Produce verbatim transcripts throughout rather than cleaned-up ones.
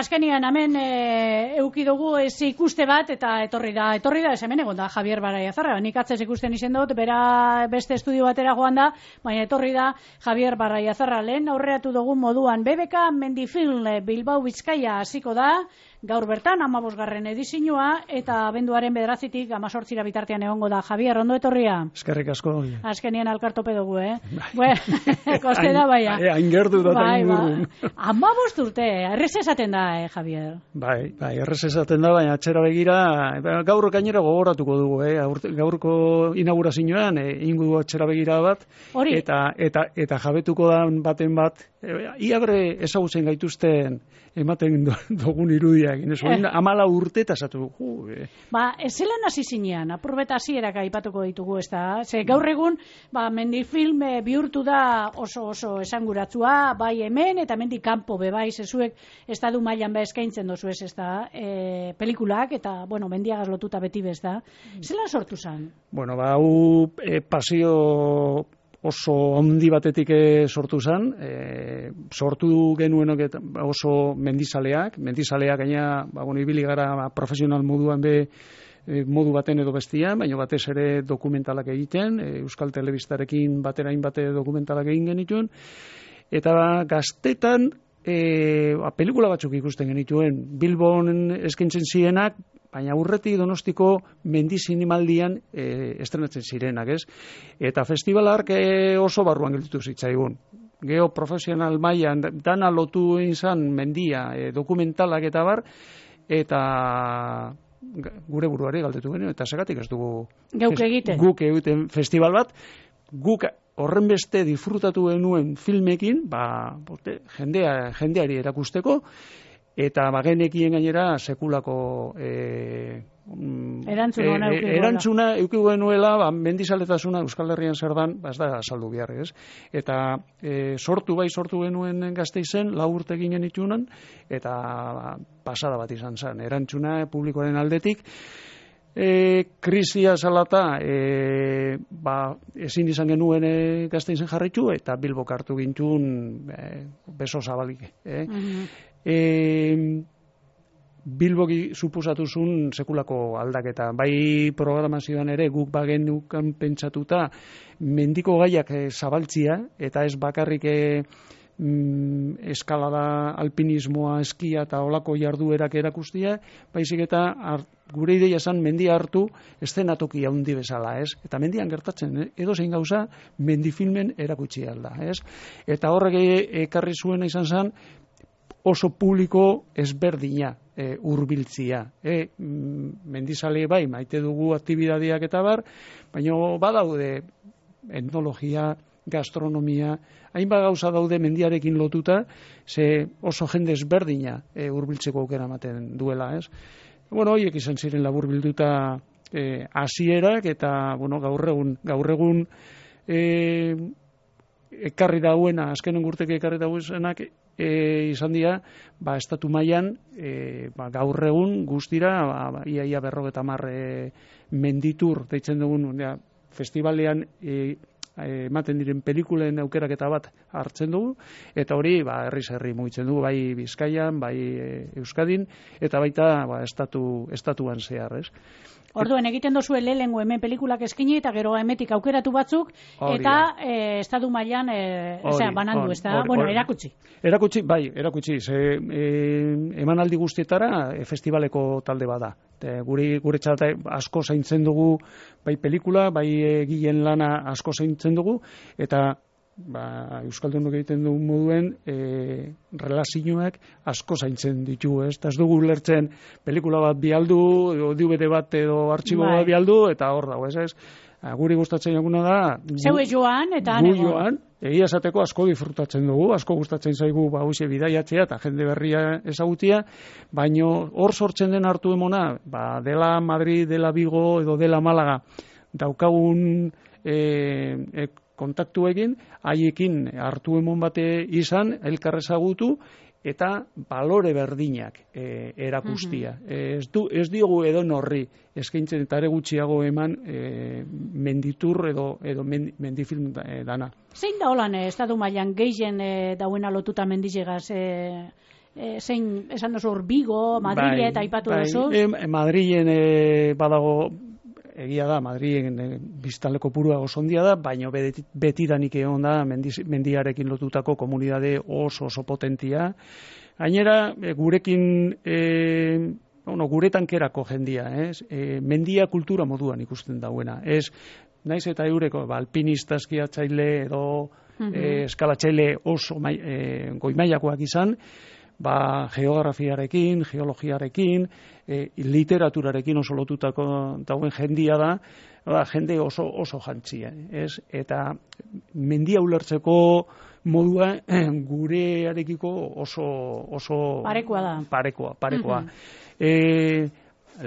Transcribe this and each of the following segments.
azkenian hemen e, euki dugu ez ikuste bat eta etorri da, etorri da, ez hemen egon da Javier Baraiazarra, nik atzez ikusten izen dut, bera beste estudio batera joan da, baina etorri da Javier Baraiazarra, lehen aurreatu dugu moduan, B B K Mendifilm Bilbao Bizkaia hasiko da, gaur bertan, amabosgarren edizioa, eta abenduaren bederatzitik amazortzira bitartean egongo da. Javier, ondo etorria? Eskerrik asko. Azkenien alkartope dugu, eh? Koste da, baina. Hain gerdu da eta ingurun. Amabost urte, errez esaten da, eh, Javier? Bai, bai, errez esaten da, baina atxera begira, gaur gainera gogoratuko dugu, eh? Gaurko inaugurazioan, eh, ingo dugu atxera begira bat, Hori. eta, eta, eta jabetuko da baten bat, iabre ezagutzen gaituzten ematen dugun irudiak. Eh. Amala urte eta esatu. Uh, eh. Ba, ez zelan hasi zinean, apurbeta hasierak aipatuko ditugu, ez da? Ze gaur egun, ba, Mendifilm e, bihurtu da oso oso esanguratsua, bai hemen, eta mendik kanpo bebai, zezuek estadu mailan ba eskaintzen dozu ez, ez da? E, pelikulak, eta, bueno, mendiagaz lotuta beti bez da. Zelan sortu zen? Bueno, ba, hau e, pasio oso handi batetik sortu zen, e, sortu genuenok oso mendizaleak, mendizaleak gaina, ba, bueno, ibili gara profesional moduan be, e, modu baten edo bestian, baina batez ere dokumentalak egiten, e, Euskal Telebistarekin batera hainbate dokumentalak egin genituen, eta ba, gaztetan, e, ba, pelikula batzuk ikusten genituen, Bilbon eskaintzen zirenak, baina aurretik Donostiko mendi zinemaldian e, estrenatzen zirenak, ez? Eta festivalak e, oso barruan gelditu zitzaigun. Geo profesional mailan dana lotu izan mendia, e, dokumentalak eta bar, eta gure buruari galdetu genuen, eta segatik ez dugu Geuk egiten. Guk egiten festival bat, guk horren beste disfrutatu genuen filmekin, ba, bote, jendea, jendeari erakusteko, eta bagenekien gainera sekulako e, erantzuna e, e, erantzuna euki genuela, ba, mendizaletasuna Euskal Herrian zer dan, ba, ez da saldu behar, ez? Eta e, sortu bai sortu genuen Gasteizen, lau urte ginen itunan, eta ba, pasada bat izan zen, erantzuna publikoaren aldetik, E, krisia salata e, ba, ezin izan genuen e, Gasteizen jarritu eta Bilbok hartu gintun e, beso zabalik. E. Uh-huh. e, Bilboki supusatuzun sekulako aldaketa. Bai programazioan ere guk bagenukan pentsatuta mendiko gaiak e, zabaltzia eta ez bakarrik e, mm, eskalada, alpinismoa, eskia eta olako jarduerak erakustia, baizik eta art, gure ideia esan mendia hartu eszenatoki handi bezala, ez? Eta mendian gertatzen, edo zein gauza mendifilmen erakutsi alda, ez? Eta horrek ekarri zuena izan zen oso publiko ezberdina e, urbiltzia. E, mendizale bai, maite dugu aktibidadeak eta bar, baina badaude etnologia, gastronomia, hainbat gauza daude mendiarekin lotuta, ze oso jende ezberdina e, urbiltzeko aukera ematen duela, ez? Bueno, horiek izan ziren labur bilduta e, hasierak eta bueno, gaur egun gaur egun e, ekarri dauena, azkenen urteke ekarri dauenak e, izan dira, ba, estatu mailan e, ba, gaur egun guztira, ba, ba, ia ia berrogeta hamar e, menditur deitzen dugun, ja, festivalean e, ematen diren pelikulen aukeraketa bat hartzen dugu, eta hori ba, herriz herri mugitzen dugu, bai Bizkaian, bai e, Euskadin, eta baita ba, estatu, estatuan zehar, ez? Orduen egiten dozue lehengo hemen pelikulak eskini eta gero hemetik aukeratu batzuk eta e, estatu mailan e, osea, banandu, ez da? Bueno, erakutsi. Erakutsi, bai, erakutsi. Ze, e, emanaldi guztietara e, festivaleko talde bada. E, guri guretzat asko zaintzen dugu bai pelikula, bai egileen lana asko zaintzen dugu, eta ba, Euskaldunok egiten dugun moduen e, relazioak asko zaintzen ditu, ez? Ez dugu lertzen pelikula bat bialdu, D V D bat edo artxibo bat bialdu, eta hor dago, ez ez? Guri gustatzen eguna da... Zeue joan, eta gu joan, egia esateko asko disfrutatzen dugu, asko gustatzen zaigu ba, hoxe bidaiatzea eta jende berria ezagutia, baino hor sortzen den hartu emona, ba, dela Madrid, dela Vigo edo dela Malaga, daukagun e, e, kontaktu egin, haiekin hartu emon bate izan, elkar ezagutu, eta balore berdinak e, erakustia. Uh-huh. e, ez, du, ez diogu edo norri eskaintzen eta ere gutxiago eman e, menditur edo, edo mendifilm dana. Zein da holan, eh, estatu mailan gehien eh, dauena lotuta mendizegaz eh, e, zein esan duzu hor Bigo, Madrile eta aipatu bai, duzu. E, Madrilen e, badago, egia da, Madrilen e, biztanleko purua oso ondia da, baina beti, betidanik egon da mendiz, mendiarekin lotutako komunidade oso oso potentia. Gainera, e, gurekin, e, bueno, guretan kerako jendia, ez? E, mendia kultura moduan ikusten dauena. Ez, naiz eta eureko, ba, alpinista eskiatzaile edo uh-huh. e, eskalatzaile oso mai, e, goimailakoak izan, ba, geografiarekin, geologiarekin, e, literaturarekin oso lotutako dauen jendia da, ba, jende oso oso jantzia, ez? Eta mendia ulertzeko modua gurearekiko oso oso parekoa da. Parekoa, parekoa. Uh-huh. E,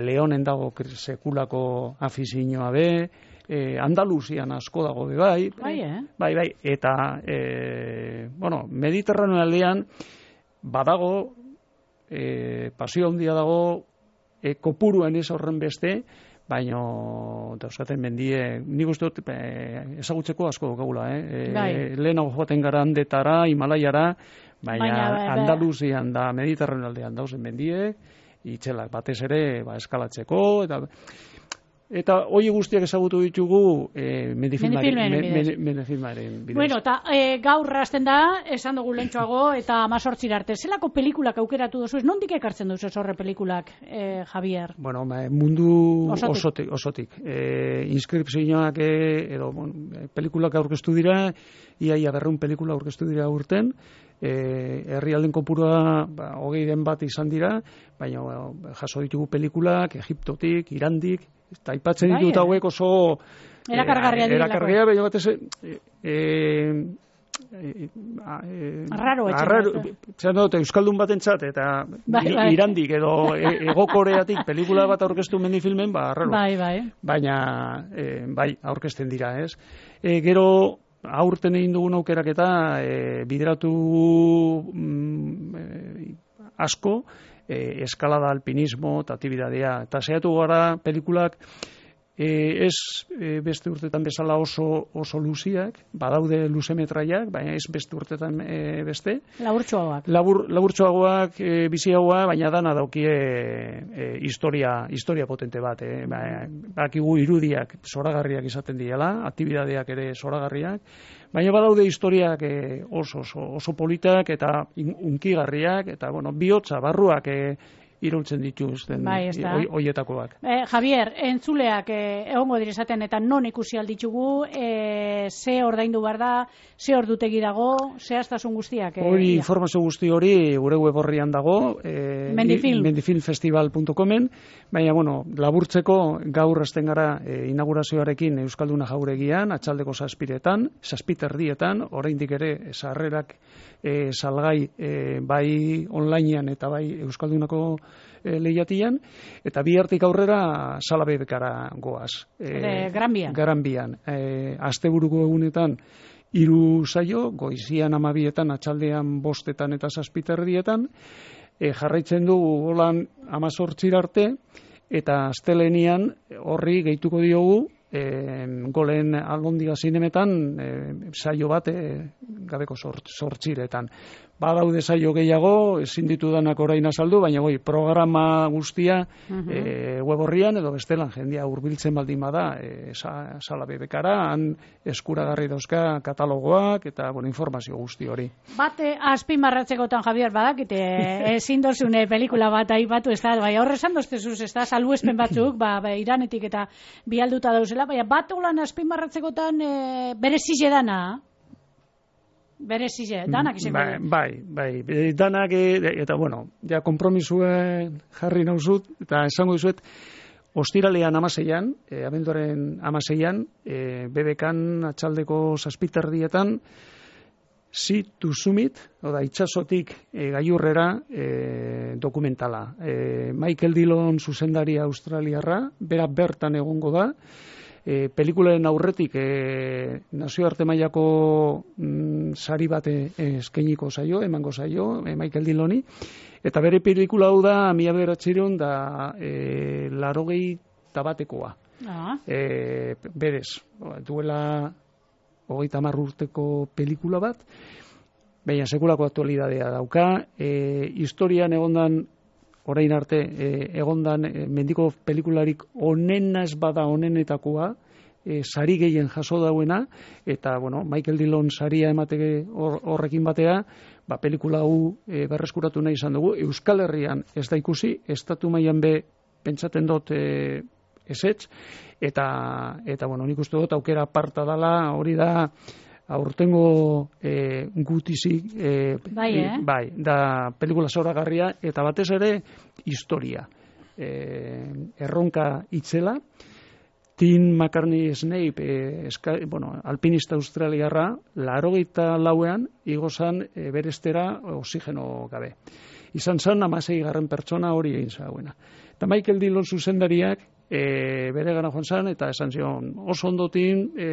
Leonen dago afizioa afizioa be, e, Andaluzian asko dago be bai. Bai, eh? Bai, bai, eta e, bueno, Mediterraneo aldean badago, e, pasio handia dago, e, kopuruen ez horren beste, baina dauzkaten mendie, nik uste dut e, ezagutzeko asko daukagula, eh? E, lehenago joaten gara handetara, Himalaiara, baina, baina Andaluzian da Mediterraneo aldean dauzen mendie, itxelak batez ere ba, eskalatzeko, eta Eta hori guztiak ezagutu ditugu eh, Mendifilmaren bidez. Bueno, eta e, gaur hasten da, esan dugu lentsuago, eta amazortzira arte. Zelako pelikulak aukeratu duzu? Nondik ekartzen duzu horre pelikulak, eh, Javier? Bueno, mundu osotik. osotik, osotik. E, inskripzioak edo bon, pelikulak aurkeztu dira, iaia berreun pelikula aurkeztu dira urten, E, herrialden kopurua ba, hogei den bat izan dira, baina ba, jaso ditugu pelikulak, Egiptotik, Irandik, eta aipatzen ditut bai, hauek oso erakargarria e, erakargarria, baina batez e, e, e, arraro etxen euskaldun batentzat eta bai, bai. Irandik edo e, egokoreatik pelikula bat aurkeztu Mendifilmen, ba, arraro bai, bai. baina e, bai, aurkezten dira, ez? E, gero aurten egin dugun aukeraketa e, bideratu mm, e, asko e, eskalada, alpinismo eta aktibitatea. Eta saiatu gara pelikulak e, ez e, beste urtetan bezala oso, oso luziak, badaude luzemetraiak, baina ez beste urtetan e, beste. Laburtxoagoak. Labur, laburtxoagoak, e, biziagoa, baina dana daukie e, historia, historia potente bat. E, ba, bakigu irudiak zoragarriak izaten diela, aktibitateak ere zoragarriak, baina badaude historiak e, oso, oso, oso politak eta unkigarriak, eta bueno, bihotza, barruak e, iraultzen dituzten bai, hoietakoak. Eh, Javier, entzuleak eh, egongo direzaten eta non ikusi alditugu, eh, ze ordaindu behar da, ze ordutegi dago, ze astasun guztiak. Eh, hori, informazio guzti hori gure web horrian dago, eh, Mendifilm. mendifilmfestival puntu comen, baina, bueno, laburtzeko gaur hasten gara eh, inaugurazioarekin Euskalduna Jauregian, atxaldeko zazpiretan, zazpiterdietan, oraindik ere sarrerak eh, salgai eh, bai onlinean eta bai Euskaldunako E, lehiatian, eta bi hartik aurrera Salabebekara goaz. E, Granbian. Granbian. E, asteburuko egunetan hiru saio, goizian amabietan, atxaldean bostetan eta zazpiterdietan, e, jarraitzen du holan amazortzira arte, eta astelenian horri gehituko diogu, e, golen algondiga zinemetan e, saio bat e, gabeko sortziretan. Badaude saio gehiago, ezin ditudanak orain azaldu, baina goi, programa guztia uh-huh. e, web horrian edo bestelan jendia hurbiltzen baldin bada e, sa, Salabebekara, han eskuragarri dauzka katalogoak eta bueno, informazio guzti hori. Bate azpimarratzekotan, Javier, badakite ezin dozune pelikula bat aipatu, ez da, bai, horre esan doztezuz, ez da, salbuespen batzuk, ba, ba, Iranetik eta bialduta dauzela, baina bat holan azpimarratzekotan e, bere zizedana, bere zize, danak izango bai, bai, bai, danak eta bueno, ja kompromisue jarri nauzut, eta esango dizuet ostiralean amaseian, e, abenduaren amaseian, e, bebekan atxaldeko zazpiterdietan Sea to Summit, oda itxasotik e, gailurrera e, dokumentala. E, Michael Dillon zuzendaria australiarra, bera bertan egongo da, E, pelikularen aurretik e, nazioarte mailako mm, sari bate eskainiko zaio, emango zaio, e, Michael Dilloni, eta bere pelikula hau da mila bederatziehun da e, larogei tabatekoa. Ah. E, berez, duela hogeita hamar urteko pelikula bat, baina sekulako aktualidadea dauka, e, historian egondan, orain arte, e, egondan e, mendiko pelikularik onena ez bada onenetakoa, e, sari gehien jaso dauena, eta, bueno, Michael Dillon saria emateke hor, horrekin batea, ba, pelikula hau e, berreskuratu nahi izan dugu, Euskal Herrian ez da ikusi, estatu mailan be pentsaten dut e, ezetz, eta, eta, bueno, nik uste dut aukera aparta dala, hori da, aurtengo e, gutizik, e, bai, eh? bai, da pelikula zoragarria, eta batez ere historia. E, erronka itzela, Tim McCartney Snape, e, eska, bueno, alpinista australiarra, laurogeita lauean, igozan e, berestera oxigeno gabe. Izan zan, amasei garren pertsona hori egin zauena. Eta Michael Dillon zuzendariak, E, bere gana joan zan, eta esan zion, oso ondotin e,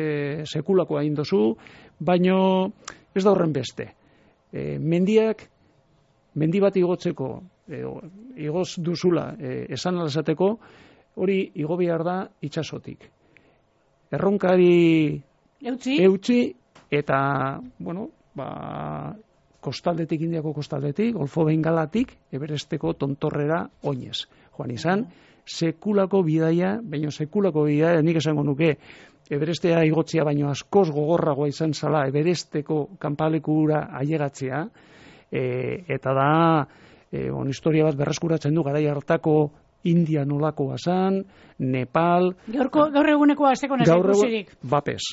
sekulako hain dozu, baino ez da horren beste. E, mendiak, mendi bat igotzeko, e, igoz duzula, e, esan alzateko, hori igo behar da itsasotik. Erronkari eutzi, eutzi eta, bueno, ba, kostaldetik, Indiako kostaldetik, Golfo Bengalatik, Everesteko tontorrera oinez. Joan izan, sekulako bidaia, baina sekulako bidaia, nik esango nuke, Everestea igotzea baino askoz gogorragoa izan zala, Everesteko kanpalekura ailegatzea, e, eta da, e, on, historia bat berreskuratzen du, garai hartako India nolakoa zan, Nepal... Gaurko, gaur eguneko azteko nesa ikusirik. Bapes.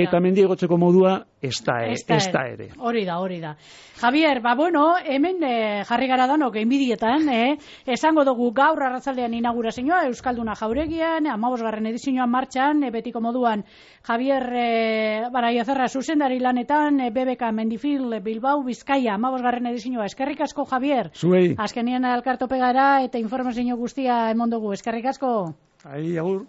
Eta mendi egotzeko modua ez da, ez da ere. Hori da, hori da. Javier, ba bueno, hemen eh, jarri gara danok enbidietan, eh? Esango dugu gaur arratzaldean inaugurazioa Euskalduna Jauregian, hamabosgarren edizioan martxan, e, betiko moduan Javier eh, Baraiozarra zuzendari lanetan, e, B B K Mendifil Bilbao Bizkaia, hamabosgarren edizioa. Eskerrik asko, Javier. Zuei. Azkenien elkartope gara eta informazio guztia emon dugu. Eskerrik asko. Ai, agur.